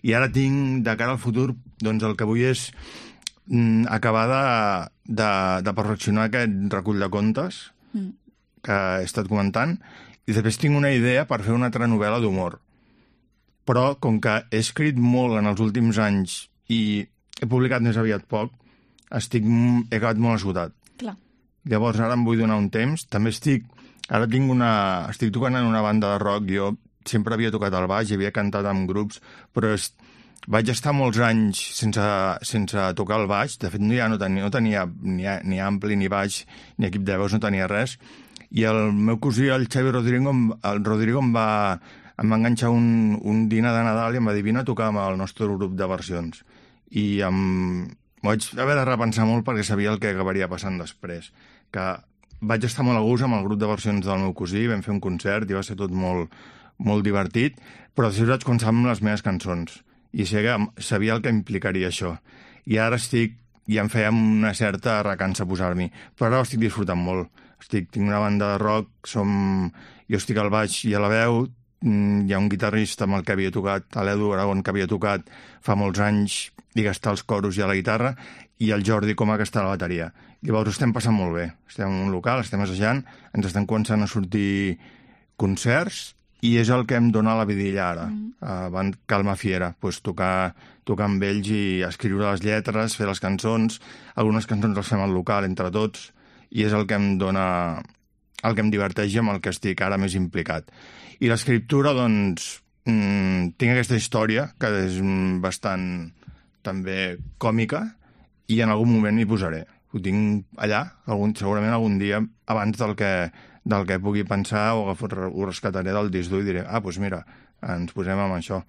I ara tinc, de cara al futur, doncs el que vull és acabar de perfeccionar aquest recull de contes que he estat comentant, i després tinc una idea per fer una altra novel·la d'humor. Però, com que he escrit molt en els últims anys i he publicat més aviat poc, he quedat molt esgotat. Clar. Llavors ara em vull donar un temps. També estic tocant en una banda de rock. Jo sempre havia tocat el baix i havia cantat en grups, però vaig estar molts anys sense tocar el baix. De fet, no tenia ni ampli, ni baix, ni equip de veus, no tenia res. I el meu cosí, el Xavi Rodrigo, em va enganxar un dinar de Nadal i em va dir: vine a tocar amb el nostre grup de versions. I m'ho vaig haver de repensar molt perquè sabia el que acabaria passant després. Que vaig estar molt a gust amb el grup de versions del meu cosí, vam fer un concert i va ser tot molt, molt divertit, però després vaig començar amb les meves cançons i sabia el que implicaria això. I ara ja em feia una certa recança posar-m'hi, però ara ho estic disfrutant molt. Tinc una banda de rock, jo estic al baix i a la veu, hi ha un guitarrista amb el que havia tocat, l'Edu Aragón, que havia tocat fa molts anys i que està als coros i a la guitarra, i el Jordi Coma, que està a la bateria. Llavors ho estem passant molt bé. Estem en un local, estem assajant, ens estan començant a sortir concerts i és el que em dona la vidilla ara, Calma Fiera, tocar amb ells i escriure les lletres, fer les cançons. Algunes cançons les fem al local entre tots i és el que em dona, el que em diverteix i amb el que estic ara més implicat. I l'escriptura, doncs, tinc aquesta història que és bastant també còmica i en algun moment m'hi posaré. Ho tinc allà, segurament algun dia abans del que pugui pensar, ho rescataré del disc dur i diré: doncs mira, ens posem amb això.